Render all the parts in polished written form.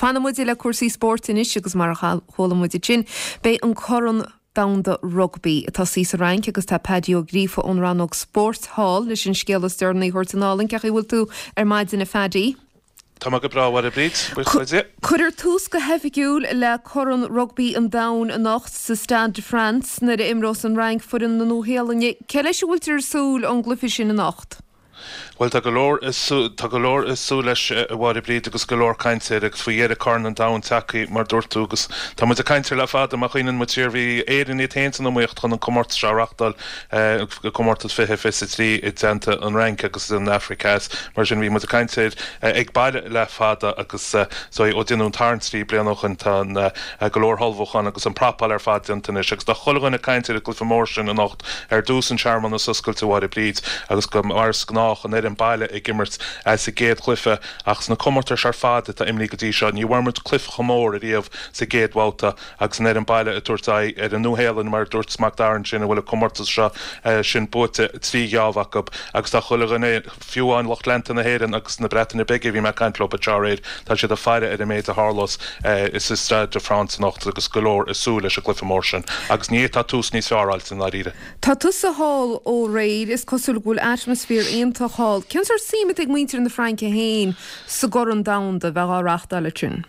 Fanfaidh muid le cúrsaí spóirt anois agus mar a chuala muid ansin, beidh an Corn Domhanda Rugbaí ag tosaí sa Fhrainc agus tá Paddy Ó Gríofa ón rannóg spóirt thall leis an scéal is deireanaí a thabhairt anall. Cén chaoi a bhfuil tú ar maidin a Phaddy? Tá mé go breá, a Mháire Bríd, buíochas le Dia. Cuirfear tús go hoifigiúil le Corn Rugbaí an Domhain anocht sa Stade de France nuair a imreos an Fhrainc foireann na Nua-Shéalainne. Cé leis a bhfuiltear ag súil ón gcluiche sin anocht? Bhuel, tá go leor, tá go leor ag súil leis, a Mháire Bríd, agus go leor cainte air agus faoi dheireadh Corn an Domhain tagtha, mar dúirt tú, agus tá muid ag caint air le fada. Má chuimhníonn muid siar, bhí Éirinn iad féin san iomaíocht chun an comórtas seo a reachtáil, comórtas 2023 i dteannta an Fhrainc agus an Afraic Theas. Mar sin, bhí muid ag caint air ag baile le fada agus so ó déanadh an tarraingt 3 bliana ó shoin, tá an go leor ullmhúchán agus an prapáil ar fad déanta anois agus tá chuile dhuine ag caint ar an gcluiche mór sin anocht. Ar dtús an searmanas oscailte, a Mháire Bríd, agus go mar is gnách, an fhoireann baile ag imirt sa gcéad chluiche ach sna comórtais ar fad atá imrithe go dtí seo, ní bhfuair muid cluiche chomh mór ariamh sa gcéad bhabhta agus an fhoireann baile ag tabhairt aghaidh ar an Nua-Shéalainn, mar a dúirt Mac Dara ansin, a bhfuil an comórtas seo sin buaite 3 gheábh acu agus tá chuile dhuine, fiú amháin lucht leanta na hÉireann agus na Breataine Bige a bhí mé ag caint leo anseo aréir, tá siad ag faire ar an méid a tharlós sa Stade de France anocht agus go leor ag súil leis an gcluiche mór sin. Agus ní fhéadfá tús níos fearr a fháilt i ndáiríre. Tá tusa thall ó aréir, is cosúil go bhfuil atmaisféar iontach thall. Cén sórt suim atá ag muintir na Fraince féin sa gCorn Domhanda a bheidh á reáchtáil ansin?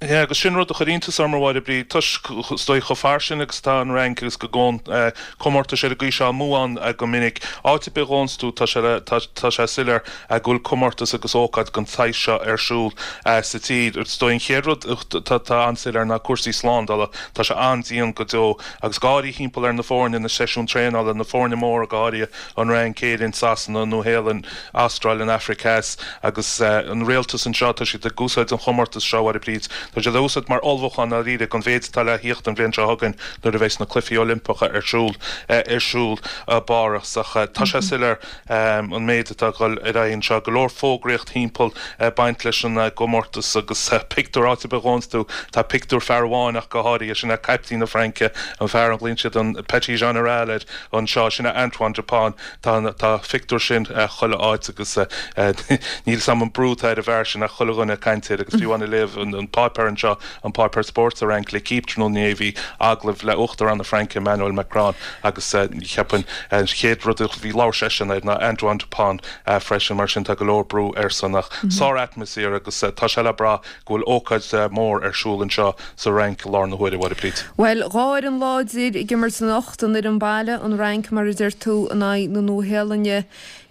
Yeah, agus sin rud a chuir iontas orm, a Mháire Bríd, toisc, is dóigh, chomh fairsing agus atá an Fhrainc agus go ngabhann comórtais ar an gcaoi seo amú ann go minic. Áit ar bith a ghabhanns tú, tá sé le, tá, tá sé soiléir go bhfuil comórtas agus ócáid den tsaghas seo ar siúl sa tír. Is dóigh an chéad rud atá, atá an-soiléir ná cúrsaí slándála. Tá sé an-dian go deo agus go háirithe thimpeall ar na foirne, na seisiúin traenála, na foirne móra go háirithe, an Fhrainc, Éirinn, Sasana, Nua-Shéalainn, Astráil, an Afraic Theas agus an rialtas anseo, tá siad ag úsáid an chomórtas seo, a Mháire Bríd, tá siad á úsáid mar ullmhúchán dáiríre don mhéid atá le thíocht an bhliain seo chugainn nuair a bheidh na Cluichí Oilimpeacha ar siúl ar siúl i bPáras. Ach tá sé soiléir an méid atá ag dul ar aghaidh anseo, go leor fógraíocht thimpeall ag baint leis an gcomórtas agus pictiúr, áit ar bith a ghabhanns tú, tá pictiúr fear amháin ach go háirithe, sin é caiptín na Fraince, an fear a nglaonn siad an Petit Général air anseo, sin é Antoine Dupont. Tá an tá phictiúr sin chuile áit agus níl 'fhios a'm an brú atá ar an bhfear sin ach chuile dhuine ag caint air agus fiú amháin ag léamh an páipéar anseo, an páipéar spóirt sa Fhrainc, L'Équipe tráthnóna inné bhí agallamh le Uachtarán na Fraince Emmanuel Macron agus cheapfainn an chéad rud a bhí labhair seisean air ná Antoine Dupont freisin mar sin tá go leor brú airsean ach sár-atmaisféar agus tá sé le brath go bhfuil ócáid mhór ar siúl anseo sa Fhrainc i láthair na huaire, a Mháire Bríd. Bhuel, 2 fhoireann láidir ag imirt anocht, an fhoireann baile, an Fhrainc, mar a deir tú, in aghaidh na Nua-Shéalainne.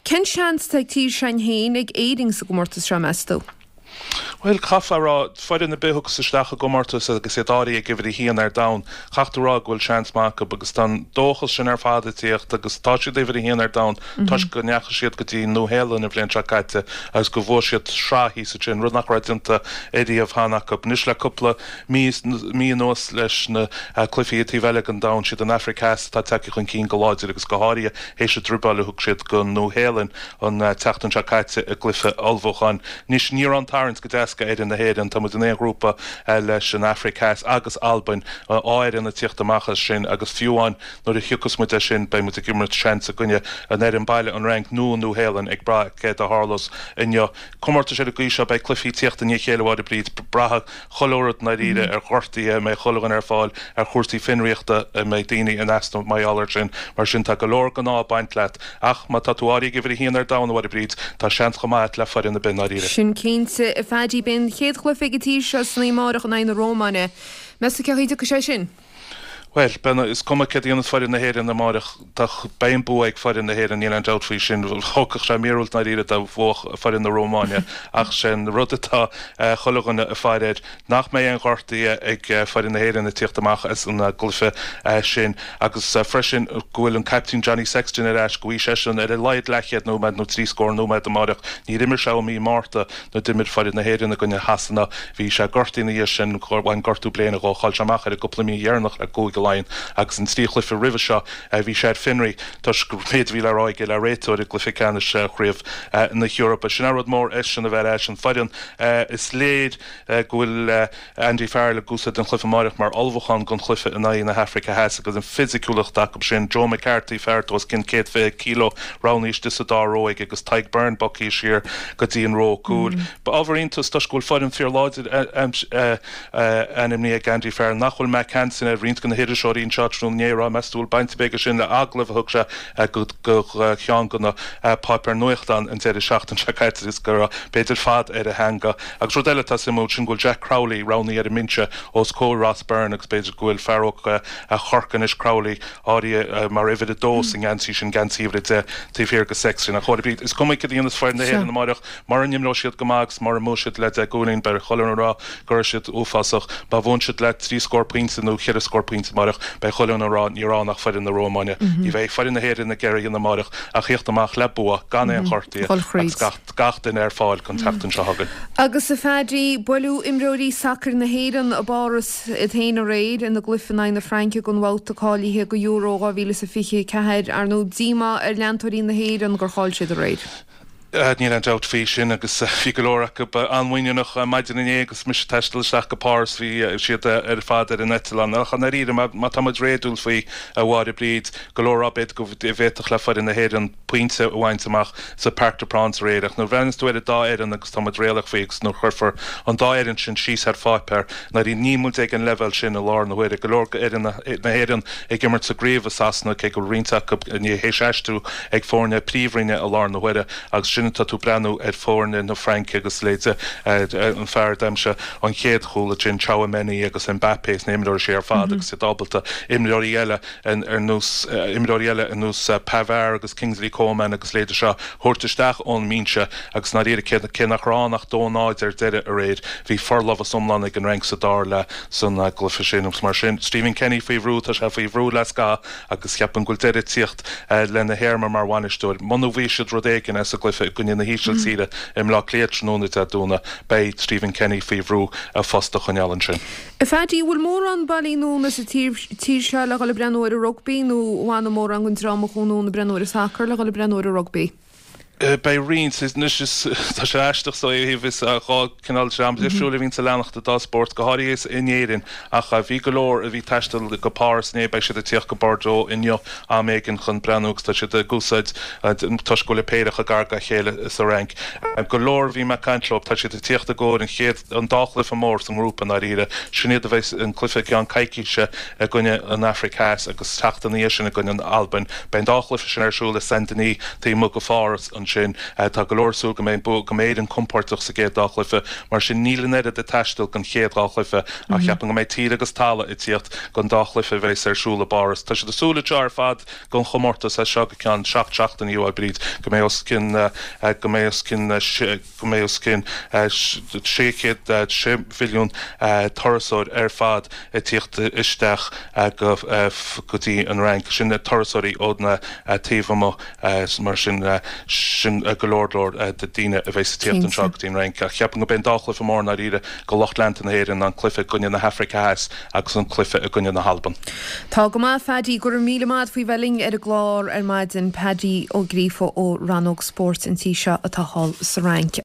Cén seans atá ag tír s'againn féin, ag Éirinn, sa gcomórtas seo, meas tú? Bhuel, caithfeá a rá, foireann ar bith a thiocfas isteach i gcomórtas agus iad áirithe ag uimhir a haon ar domhan, caithfidh tú a rá go bhfuil seans maith acu agus tá an dóchas sin ar fad ag tíocht agus tá siad uimhir a haon ar domhan toisc go ndeachaigh siad go dtí an Nua-Shéalainn an bhliain seo caite agus go bhfuair siad sraith thíos ansin, rud nach raibh déanta ariamh cheana acu. Anois le cúpla mí mí anuas leis na cluichí ag taobh eile den domhan, siad an Afraic Theas atá tagtha chun cinn go láidir agus go háirithe théis an druibeáil a thug siad don Nua-Shéalainn an tseachtain seo caite i gcluiche ullmhúcháin. Anois ní raibh an tarraingt go deas do fhoireann na hÉireann, tá muid in aon ghrúpa leis an Afraic Theas agus Albain, 2 fhoireann ag tíocht amach as sin agus fiú amháin Nuair a thiocfas muid as sin, beidh muid ag imirt seans i gcoinne an fhoireann baile, an Fhrainc nó an Nua-Shéalainn, ag brath céard a tharlós inniu. Comórtais ar an gcaoi seo, beidh cluichí ag tíocht i ndiaidh a chéile, a Mháire Bríd. Braithfidh chuile rud i ndáiríre ar ghortuithe, an mbeidh chuile dhuine ar fáil, ar chúrsaí fionraíochta, an mbeidh daoine in easnamh mar gheall air sin. Mar sin, tá go leor den ádh ag baint leat. Ach má tá tú áirithe ag uimhir a haon ar domhan, a Mháire Bríd, tá seans chomh maith agat le foireann ar bith i ndáiríre. Sin cinnte, a Phaddy. Beidh an chéad chluiche ag an tír seo san oíche amárach in aghaidh na Rómáine. Meas tú cén chaoi a dtiocfaidh sé sin? Bhuel, beidh, is cuma céard a dhéanfas foireann na hÉireann amáireach, tá, beidh an bua ag foireann na hÉireann, níl aon dabht faoi sin. Thógfadh sé míorúilt i ndáiríre dá mbuafadh foireann na Rómáine ach sé an rud atá chuile dhuine ag faire air, nach mbeidh aon ghortuithe ag foireann na hÉireann ag tíocht amach as an gcluiche sin agus freisin go bhfuil an caiptín Johnny Sexton ar ais, go bhfaighidh seisean ar a laghad leathchéad nóiméad nó trí scór nóiméad amáireach. Níor imir sé ó mí Márta. Nuair d'imir foireann na hÉireann i gcoinne Shasana, bhí sé gortaithe ina dhiaidh sin, bhain gortú bléine dhó, chaill sé amach ar an gcúpla mí dheireanach le Cúige. Laighean agus an 3 chluiche roimhe seo bhí sé ar fionraí toisc an méid a bhí le rá aige le réiteoir i gcluiche ceannais Chraobh na hEorpa. Sin é rud mór eisean a bheith ar ais an foireann. Is léir go bhfuil Andy Farrell ag úsáid an chluiche amáireach mar ullmhúchán don chluiche in aghaidh na hAfraice Theas agus an fisiciúlacht acu sin. Joe McCarthy, fear atá os cionn 120 kilo, roghnaithe istigh sa dá ró aige agus Tadhg Beirne bogtha siar go dtí an ró cúil. Ábhar iontais toisc go bhfuil foireann fíorláidir ainmnithe ag Andy Farrell nach bhfuil Mack Hansen air. Roinnt de na hiriseoirí anseo tráthnóna inné ag rá meas tú bhfuil baint ar bith aige sin le agallamh a thug sé go cheann de na páipéir nuachtáin an deireadh seachtaine seo caite agus go raibh b'fhéidir fad ar a theanga. Agus rud eile atá suimiúil, sin go bhfuil Jack Crowley roghnaithe ar an mbinse os comhair Ross Byrne agus b'fhéidir go bhfuil fear óg Chorcaí anois, Crowley, áirithe mar uimhir a dó sa ngeansaí sin, geansaí uimhir a 10, taobh thiar de Sexton. Ach chóir a bith, is cuma cad a dhéanfas foireann na hÉireann amáireach, mura n-imreoidh siad go maith agus mura mbuafaidh siad le 10 gcúilín, beidh chuile dhuine ag rá go raibh siad uafásach. Má bhuann siad le trí scór pointe nó cheithre scór pointe amáireach, beidh chuile dhuine ag rá ní raibh ann ach foireann na Rómáine. Ní bheidh foireann na hÉireann ag iarraidh a dhéanamh amáireach ach thíocht amach le bua, gan aon ghortaithe agus gach gach duine ar fáil don tseachtain seo chugainn. Agus a Phaddy, buaileadh imreoirí sacair na hÉireann i bPáras iad féin aréir ina gcluiche in aghaidh na Fraince don bhabhta cáilithe do Euro 2024. Ar ndóigh, díomá ar leantóirí na hÉireann gur chaill siad aréir. Níl aon dabht faoi sin agus bhí go leor acu an-mhuiníneach maidin inné agus mise ag taisteal isteach go Páras bhí siad ar fad ar an eitleán. Ach i ndáiríre, má tá muid réadúil faoi, a Mháire Bríd, go leor ag rá b'fhéidir go bhféadfadh le foireann na hÉireann pointe a bhaint amach sa Parc des Princes aréir ach nuair a bhreathnaíos tú ar an dá fhoireann agus tá muid réalaíoch faoi agus nuair a chuirfear an dá fhoireann sin síos ar pháipéar i ndáiríre níl muid ag an leibhéal sin i láthair na huaire. Go leor d'fhoireann na hÉireann ag imirt sa gcraobh i Sasana cé go bhfuil roinnt acu théis aistriú ag foirne príomhroinne i láthair na huaire agus sin atá tú ag breathnú ar foirne na Fraince agus leithéide an fear a d'aimsigh an chéad chúl ansin Tchouaméni agus Mbappé is na imreoirí sin ar fad agus iad ábalta imreoirí eile ar nós imreoirí eile ar nós Pavard agus Kingsley Coman agus leithéide seo a thabhairt isteach ón mbinse agus i ndáiríre cé nach raibh ann ach 2-0 ar deireadh aréir bhí forlámhas iomlán ag an Fhrainc sa dara leath san gcluiche sin agus mar sin Stephen Kenny faoi bhrú, tá sé faoi bhrú le scaitheamh agus cheapfainn go bhfuil deireadh ag tíocht lena théarma mar bhainisteoir. Muna bhfaighidh siad rud éigin as an gcluiche i gcoinne na hÍsiltíre i mBleá Cliath tráthnóna Dé Domhnaigh beidh Stephen Kenny faoi bhrú a phost a choinneáil ansin. A Phaddy, an bhfuil mórán bailithe anonn sa tír seo le dhul ag breathnú ar an rugbaí nó an bhfanfaidh mórán den dream a chuaigh anonn ag breathnú ar an sacar le dhul ag breathnú ar an rugbaí? Beidh roinnt. Anois is tá sé aisteach ó thaobh is dhá cineál dream difriúil a bhíonns ag leanacht an dá spórt, go háirithe in Éirinn. Ach bhí go leor a bhí ag taisteal go Páras inné, beidh siad ag tíocht go Bordeaux inniu am éigin chun breathnú agus tá siad ag úsáid toisc go bhfuil an péire chomh gar dá chéile sa Fhrainc. Go leor a bhí mé ag caint leo, tá siad ag tíocht i gcomhair an chéad an dá chluiche mór sa ngrúpa i ndáiríre. Sin iad a bheidh an cluiche i gceann coicíse i gcoinne an Afraic Theas agus seachtain ina dhiaidh sin i gcoinne an Albain. Beidh an dá chluiche sin ar siúl i Saint Denis taobh amuigh de Pháras ansin. Tá go leor ag súil go mbeidh go mbeidh Éirinn compordach sa gcéad dá chluiche. Mar sin níl an oiread ag taisteal don chéad dhá chluiche ach cheapfainn go mbeidh tír agus talamh ag tíocht don dá chluiche a bheas ar siúl i bPáras. Tá siad ag súil anseo ar fad don chomórtas as seo go ceann seacht seachtainí a Bhríd go mbeidh os cionn go mbeidh os cionn go mbeidh os cionn 600 mhilliún turasóir ar fad ag tíocht isteach go dtí an Fhrainc. Sin turasóirí ó na taobh amuigh mar sin sin go leor leor de daoine a bheas ag tíocht anseo go dtí an Fhrainc. Ach cheapfainn go mbeidh an dá chluiche mór i ndáiríre do lucht leanta na hÉireann, an cluiche i gcoinne na hAfraice Theas agus an cluiche i gcoinne na hAlban. Tá go maith, Phaddy. Go raibh míle maith a't faoi bheith linn ar an gclár ar maidin. Paddy Ó Gríofa ó Rannóg Spóirt an tí seo atá thall sa Fhrainc.